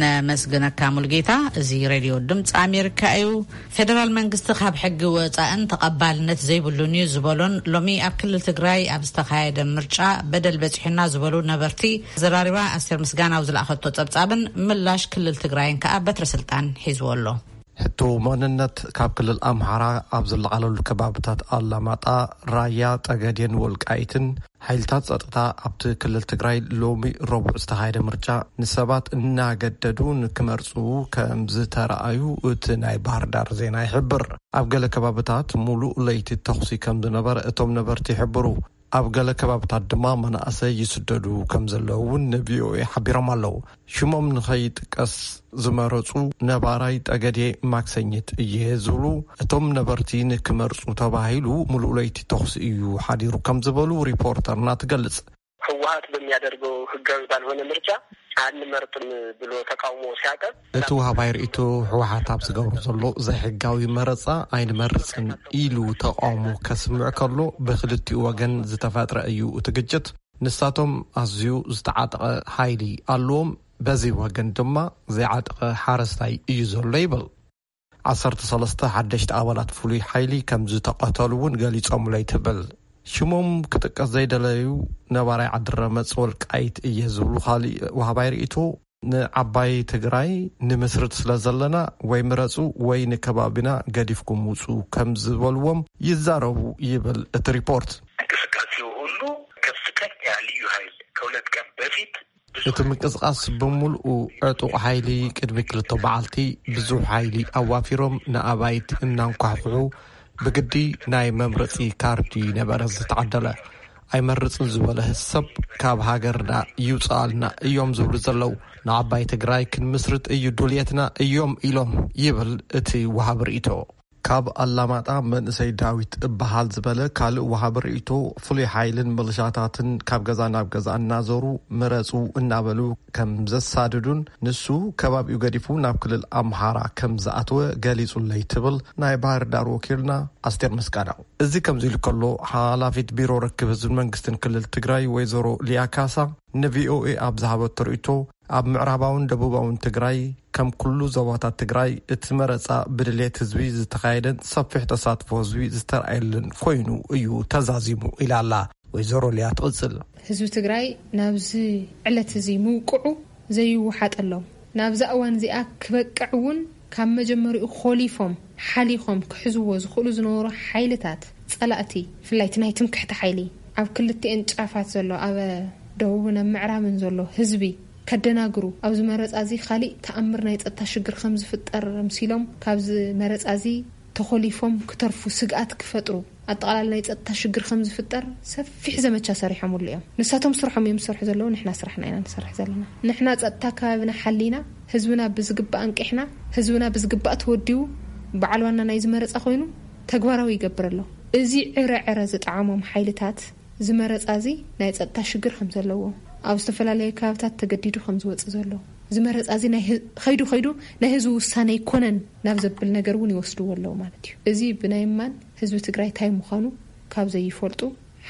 ነመስግነካ ሙልጌታ። እዚ ሬድዮ ድምፂ ኣሜሪካ እዩ። ፌደራል መንግስቲ ካብ ሕጊ ወፃእን ተቐባልነት ዘይብሉን እዩ ዝበሎን ሎሚ ኣብ ክልል ትግራይ ኣብ ዝተኻየደ ምርጫ በደል በፂሑና ዝበሉ ነበርቲ ዘራሪባ ኣስቴር ምስጋናው ዝለኣኸቶ ፀብፃብን ምላሽ ክልል ትግራይን ከዓ በትረ ስልጣን ሒዝዎ ኣሎ። ሕቶ መንነት ካብ ክልል ኣምሓራ ኣብ ዝለዓለሉ ከባብታት ኣላማጣ፣ ራያ፣ ጠገዴን ወልቃይትን ሓይልታት ጸጥታ ኣብቲ ክልል ትግራይ ሎሚ ረቡዕ ዝተኻየደ ምርጫ ንሰባት እናገደዱ ንክመርጹ ከም ዝተረኣዩ እቲ ናይ ባህር ዳር ዜና ይሕብር። ኣብ ገለ ከባብታት ሙሉእ ለይቲ ተኹሲ ከም ዝነበረ እቶም ነበርቲ ይሕብሩ። ኣብ ገለ ከባብታት ድማ መናእሰይ ይስደዱ ከም ዘለዉ እውን ንቪኦኤ ሓቢሮም ኣለዉ። ሽሞም ንኸይጥቀስ ዝመረጹ ነባራይ ጠገዴ ማክሰኝት እየ ዝብሉ እቶም ነበርቲ ንክመርጹ ተባሂሉ ሙሉእ ለይቲ ተኹሲ እዩ ሓዲሩ ከም ዝበሉ ሪፖርተርና ትገልጽ። ህወሓት በሚያደርገው ህጋዊ ባልሆነ ምርጫ አንመርጥም ብሎ ተቃውሞ ሲያቀርብ እቲ ወሃባይ ርእይቶ ህወሓት ኣብ ዝገብሮ ዘሎ ዘይሕጋዊ መረጻ ኣይንመርጽን ኢሉ ተቃውሞ ከስምዕ ከሎ ብክልቲኡ ወገን ዝተፈጥረ እዩ እቲ ግጭት። ንሳቶም ኣዝዩ ዝተዓጠቐ ሓይሊ ኣለዎም፣ በዚ ወገን ድማ ዘይዓጠቐ ሓረስታይ እዩ ዘሎ ይብል። ዓሰርተ ሰለስተ ሓደሽቲ ኣባላት ፍሉይ ሓይሊ ከም ዝተቐተሉ እውን ገሊጾምለይ ትብል። ሽሞም ክጥቀስ ዘይደለዩ ነባራይ ዓዲ ረመጽ ወልቃይት እየ ዝብሉ ካልእ ወሃባይ ርእይቶ ንዓባይ ትግራይ ንምስርት ስለ ዘለና ወይ ምረጹ ወይ ንከባቢና ገዲፍኩም ውጹ ከም ዝበልዎም ይዛረቡ ይብል እቲ ሪፖርት። እንቅስቃሴው ሁሉ ከፍተኛ ልዩ ኃይል ከሁለት ቀን በፊት እቲ ምንቅስቃስ ብምልኡ ዕጡቕ ሓይሊ ቅድሚ ክልተ በዓልቲ ብዙሕ ሓይሊ ኣዋፊሮም ንኣባይት እናንኳሕኩሑ ብግዲ ናይ መምረፂ ካርዲ ነበረ ዝተዓደለ። ኣይመርፅን ዝበለ ሰብ ካብ ሃገርና ይውፅኣልና እዮም ዝብሉ ዘለዉ። ንዓባይ ትግራይ ክንምስርት እዩ ድልየትና እዮም ኢሎም ይብል እቲ ወሃቢ ርእይቶ። ካብ ኣላማጣ መንእሰይ ዳዊት እበሃል ዝበለ ካልእ ወሃቢ ርእይቶ፣ ፍሉይ ሓይልን ምልሻታትን ካብ ገዛ ናብ ገዛ እናዞሩ ምረጹ እናበሉ ከም ዘሳድዱን ንሱ ከባቢኡ ገዲፉ ናብ ክልል ኣምሓራ ከም ዝኣተወ ገሊጹለይ ትብል ናይ ባህር ዳር ወኪልና ኣስቴር ምስጋናው። እዚ ከምዚ ኢሉ ከሎ፣ ሓላፊት ቢሮ ርክብ ህዝብን መንግስትን ክልል ትግራይ ወይዘሮ ሊያ ካሳ ንቪኦኤ ኣብ ዝሃበቶ ርእይቶ፣ ኣብ ምዕራባውን ደቡባውን ትግራይ ከም ኩሉ ዞባታት ትግራይ እቲ መረፃ ብድሌት ህዝቢ ዝተኻየደን ሰፊሕ ተሳትፎ ህዝቢ ዝተረኣየሉን ኮይኑ እዩ ተዛዚሙ ኢላ ኣላ። ወይዘሮ ሊያ ትቕፅል። ህዝቢ ትግራይ ናብዚ ዕለት እዚ ምውቅዑ ዘይወሓጠሎም፣ ናብዛ እዋን እዚኣ ክበቅዕ እውን ካብ መጀመሪኡ ኮሊፎም ሓሊኾም ክሕዝዎ ዝኽእሉ ዝነበሩ ሓይልታት ጸላእቲ፣ ብፍላይ እቲ ናይ ትምክሕቲ ሓይሊ፣ ኣብ ክልቲኤን ጫፋት ዘሎ፣ ኣብ ደቡብን ኣብ ምዕራብን ዘሎ ህዝቢ ከደናግሩ፣ ኣብዚ መረጻ እዚ ካሊእ ተኣምር ናይ ጸጥታ ሽግር ከም ዝፍጠር ኣምሲሎም፣ ካብዚ መረጻ እዚ ተኾሊፎም ክተርፉ ስግኣት ክፈጥሩ፣ ኣጠቓላሊ ናይ ጸጥታ ሽግር ከም ዝፍጠር ሰፊሕ ዘመቻ ሰሪሖምሉ እዮም። ንሳቶም ስርሖም እዮም ዝሰርሑ ዘለዉ፣ ንሕና ስራሕና ኢና ንሰርሕ ዘለና። ንሕና ጸጥታ ከባቢና ሓሊና፣ ህዝብና ብዝግባእ ኣንቂሕና፣ ህዝብና ብዝግባእ ተወዲቡ፣ በዓል ዋና ናይዚ መረጻ ኮይኑ ተግባራዊ ይገብር ኣሎ። እዚ ዕረ ዕረ ዝጠዓሞም ሓይልታት፣ እዚ መረጻ እዚ ናይ ጸጥታ ሽግር ከም ዘለዎ፣ ኣብ ዝተፈላለዩ ከባብታት ተገዲዱ ከም ዝወጽእ ዘሎ፣ እዚ መረጻ እዚ ናይ ህ-፣ ኸይዱ ኸይዱ ናይ ህዝቢ ውሳነ ኣይኮነን ናብ ዘብል ነገር እውን ይወስድዎ ኣለዉ ማለት እዩ። እዚ ብናይ እማን ህዝቢ ትግራይ እንታይ ምዃኑ ካብ ዘይፈልጡ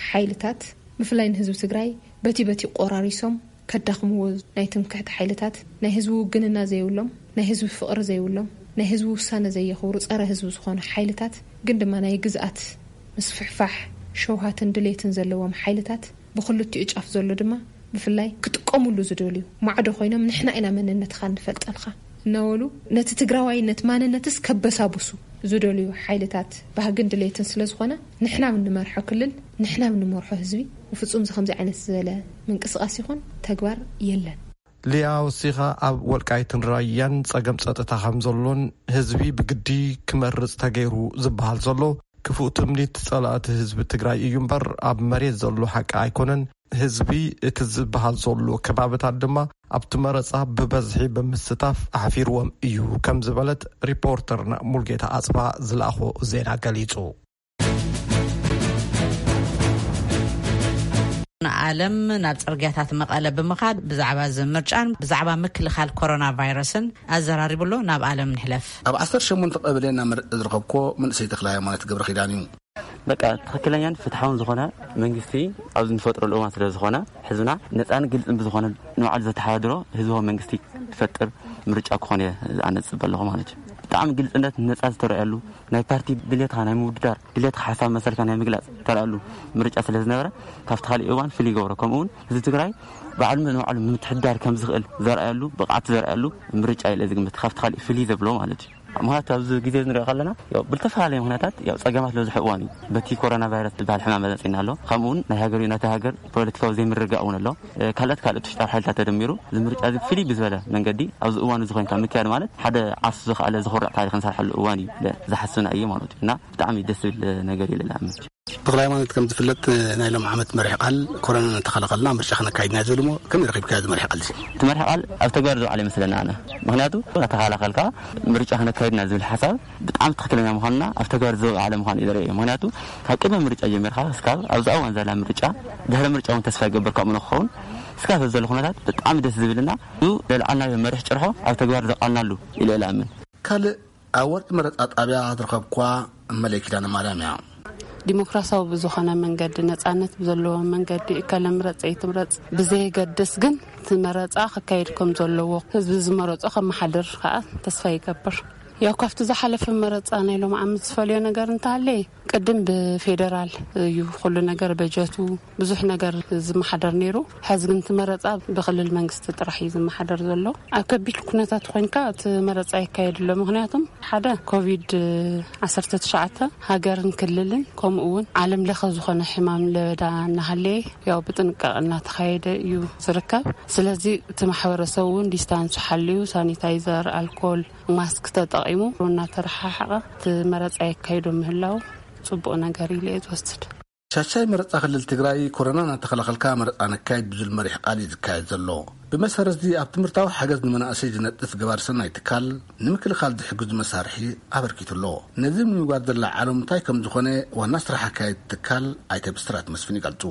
ሓይልታት፣ ብፍላይ ንህዝቢ ትግራይ በቲ በቲ ቆራሪሶም ከዳኽምዎ፣ ናይ ትምክሕቲ ሓይልታት፣ ናይ ህዝቢ ውግንና ዘይብሎም፣ ናይ ህዝቢ ፍቕሪ ዘይብሎም፣ ናይ ህዝቢ ውሳነ ዘየኽብሩ፣ ጸረ ህዝቢ ዝኾኑ ሓይልታት፣ ግን ድማ ናይ ግዝኣት ምስፍሕፋሕ ሸውሃትን ድሌትን ዘለዎም ሓይልታት፣ ብኽልቲኡ ጫፍ ዘሎ ድማ ብፍላይ ክጥቀሙሉ ዝደልዩ ማዕዶ ኮይኖም፣ "ንሕና ኢና መንነትኻ እንፈልጠልካ" እናበሉ፣ ነቲ ትግራዋይነት ማንነትስ ከበሳብሱ ዝደልዩ ሓይልታት ባህግን ድሌትን ስለ ዝኾነ፣ ንሕና ብንመርሖ ክልል፣ ንሕና ብንመርሖ ህዝቢ፣ ብፍጹም እዚ ከምዚ ዓይነት ዝበለ ምንቅስቓስ ይኹን ተግባር የለን። ሊያ ወሲኻ፣ ኣብ ወልቃይትን ራያን ጸገም ጸጥታ ከም ዘሎን ህዝቢ ብግዲ ክመርጽ ተገይሩ ዝበሃል ዘሎ ክፉእ ትምኒት ጸላእቲ ህዝቢ ትግራይ እዩ እምበር፣ ኣብ መሬት ዘሎ ሓቂ ኣይኮነን። ህዝቢ እቲ ዝበሃል ዘሎ ከባብታት ድማ ኣብቲ መረጻ ብበዝሒ ብምስታፍ ኣሕፊርዎም እዩ፣ ከም ዝበለት ሪፖርተርና ሙልጌታ ኣጽባ ዝለኣኾ ዜና ገሊጹ። ንዓለም ናብ ጽርግያታት መቐለ ብምኻድ ብዛዕባ እዚ ምርጫን ብዛዕባ ምክልኻል ኮሮና ቫይረስን ኣዘራሪቡ ኣሎ። ናብ ዓለም ንሕለፍ። ኣብ ዓሰርተ ሸሞንተ ቀበሌ እናመረጸ ዝረኸብኮ መንእሰይ ተኽለ ሃይማኖት ገብረ ኪዳን እዩ። በቃ ትኽክለኛን ፍትሓውን ዝኾነ መንግስቲ ኣብዚ ንፈጥረሉ እዋን ስለ ዝኾነ፣ ህዝብና ነፃን ግልፅን ብዝኾነ ንባዕሉ ዘተሓዳድሮ ህዝባዊ መንግስቲ ዝፈጥር ምርጫ ክኾን እየ ኣነ ዝፅበ ኣለኹ ማለት እዩ። ብጣዕሚ ግልፅነት፣ ነፃ ዝተረኣየሉ፣ ናይ ፓርቲ ድሌትካ ናይ ምውድዳር፣ ድሌትካ ሓሳብ መሰልካ ናይ ምግላፅ ዝተረኣየሉ ምርጫ ስለ ዝነበረ፣ ካብቲ ካሊእ እዋን ፍልይ ይገብሮ። ከምኡ እውን ህዝቢ ትግራይ ባዕሉ ንባዕሉ ምምትሕዳር ከም ዝኽእል ዘርኣየሉ፣ ብቕዓት ዘርኣየሉ ምርጫ ኢለ ዝግምት፣ ካብቲ ካሊእ ፍልይ ዘብሎ ማለት እዩ። ምኽንያቱ ኣብዚ ግዜ ንሪኦ ከለና፣ ያው ብልተፈላለየ ምኽንያታት፣ ያው ጸገማት ዝበዝሐ እዋን እዩ። በቲ ኮሮና ቫይረስ ዝበሃል ሕማም መጺእና ኣሎ። ከምኡ እውን ናይ ሃገር፣ ናይቲ ሃገር ፖለቲካዊ ዘይምርግጋእ እውን ኣሎ። እ፣ ካልኦት፣ ካልኦት ውሽጣዊ ሓይልታት ተደሚሩ፣ እዚ ምርጫ እዚ ፍልይ ብዝበለ መንገዲ ኣብዚ እዋን እዚ ኮይንካ ምክያድ ማለት ሓደ ዓርሱ ዝኸኣለ ዘኹርዕ ታሪኽ ንሰርሓሉ እዋን እዩ ኢለ ዝሓስብና እየ ማለት እዩ። እና ብጣዕሚ ደስ ዝብል ነገር እዩ ኢለ ዝኣምን። ተኽለ ሃይማኖት፣ ከም ዝፍለጥ፣ ናይ ሎም ዓመት መሪሕ ቃል፣ ኮሮና እናተኸላኸልና ምርጫ ክነካይድና ዝብል እሞ፣ ከመይ ረኺብካዮ እዚ መሪሕ ቃል እዚ? እቲ መሪሕ ቃል ኣብ ተግባር ዝውዓለ ይመስለና ኣነ። ምኽንያቱ እናተኸላኸልካ ምርጫ ክነካይድና ዝብል ሓሳብ ብጣዕሚ ትኽክለኛ ምዃንና ኣብ ተግባር ዝውዓለ ምዃኑ እዩ ዘርእዮ። ምኽንያቱ ካብ ቅድሚ ምርጫ ጀሚርካ እስካብ ኣብዚ እዋን ዘላ ምርጫ፣ ድሕሪ ምርጫ እውን ተስፋ ይገብር ከምኡ ንክኸውን፣ እስካብ ዘሎ ኩነታት ብጣዕሚ ደስ ዝብልና እዩ። ዘልዓልናዮ መሪሕ ጭርሖ ኣብ ተግባር ዘውዓልናሉ ኢለ እየ ዝኣምን። ካልእ ኣብ ወርቂ መረጻ ጣብያ ዝረኸብኳ እመለይ ኪዳነ ማርያም እያ። ዲሞክራሲያዊ ብዝኾነ መንገዲ፣ ነጻነት ብዘለዎ መንገዲ፣ እከለ ምረጽ ኣይትምረጽ ብዘየገድስ፣ ግን እቲ መረጻ ክካየድ ከም ዘለዎ፣ ህዝቢ ዝመረጾ ከመሓድር ከኣ ተስፋ ይገብር። ያው ካብቲ ዝሓለፈ መረጻ ናይ ሎም ዓመት ዝፈልዮ ነገር እንተሃለየ፣ ቅድም ብፌደራል እዩ ኩሉ ነገር፣ በጀቱ፣ ብዙሕ ነገር ዝመሓደር ነይሩ። ሕዚ ግን እቲ መረጻ ብክልል መንግስቲ ጥራሕ እዩ ዝመሓደር ዘሎ። ኣብ ከቢድ ኩነታት ኮይንካ እቲ መረጻ ይካየድ ኣሎ። ምኽንያቱም ሓደ ኮቪድ ዓሰርተ ትሽዓተ ሃገርን ክልልን ከምኡ እውን ዓለም ለኸ ዝኾነ ሕማም ለበዳ እናሃለየ፣ ያው ብጥንቃቄ እናተኻየደ እዩ ዝርከብ። ስለዚ እቲ ማሕበረሰብ እውን ዲስታንሱ ሓልዩ፣ ሳኒታይዘር፣ ኣልኮል፣ ማስክ ተጠቒሙ እናተረሓሓቐ እቲ መረጻ የካይዶ ምህላው ጽቡቕ ነገር ኢለ እየ ዝወስድ። ሻሻይ መረጻ ክልል ትግራይ፣ ኮሮና እናተኸላኸልካ መረጻ ነካይድ ብዝብል መሪሕ ቃል እዩ ዝካየድ ዘሎ። ብመሰረት እዚ፣ ኣብ ትምህርታዊ ሓገዝ ንመናእሰይ ዝነጥፍ ገባር ሰናይ ትካል፣ ንምክልኻል ዝሕግዙ መሳርሒ ኣበርኪቱ ኣሎ። ነዚ ንምግባር ዝለዓሎም እንታይ ከም ዝኾነ ዋና ስራሕ ኣካያዲ ትካል ኣይተ ብስራት መስፍን ይገልጹ።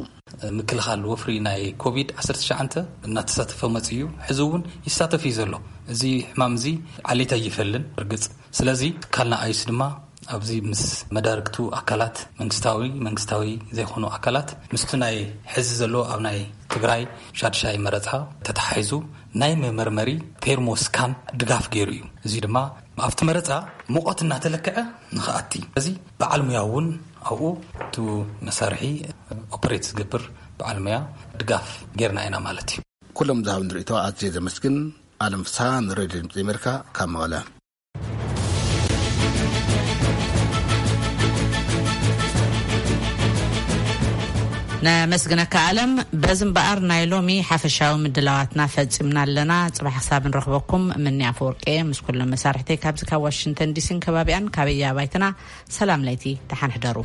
ምክልኻል ወፍሪ ናይ ኮቪድ ዓሰርተ ትሽዓተ እናተሳተፈ መጺኡ እዩ። ሕዚ እውን ይሳተፍ እዩ ዘሎ። እዚ ሕማም እዚ ዓሌት ኣይፈልን። እርግጽ፣ ስለዚ ትካልና ኣይስ ድማ ኣብዚ ምስ መዳርግቱ ኣካላት፣ መንግስታዊ፣ መንግስታዊ ዘይኮኑ ኣካላት፣ ምስቲ ናይ ሕዚ ዘሎ ኣብ ናይ ትግራይ ሻድሻይ መረጻ ተተሓሒዙ ናይ መመርመሪ ቴርሞስካን ድጋፍ ገይሩ እዩ። እዚ ድማ ኣብቲ መረጻ ሙቐት እናተለክዐ ንኽኣቲ፣ እዚ በዓል ሙያ እውን ኣብኡ እቲ መሳርሒ ኦፕሬት ዝገብር በዓል ሙያ ድጋፍ ጌርና ኢና ማለት እዩ። ኩሎም ዝሃቡኒ ርእይቶ ኣዝየ ዘመስግን። ኣለም ፍስሃ፣ ንሬድዮ ድምፂ ኣሜሪካ፣ ካብ መቐለ። ነመስግነካ ኣለም። በዚ እምበኣር ናይ ሎሚ ሓፈሻዊ ምድላዋትና ፈጺምና ኣለና። ጽባሕ ክሳብ ንረኽበኩም፣ ምኒ ኣፈወርቂ ምስ ኩሎም መሳርሕተይ ካብዚ ካብ ዋሽንግተን ዲሲን ከባቢኣን ካበያ ኣባይትና ሰላም ለይቲ፣ ደሓን ሕደሩ።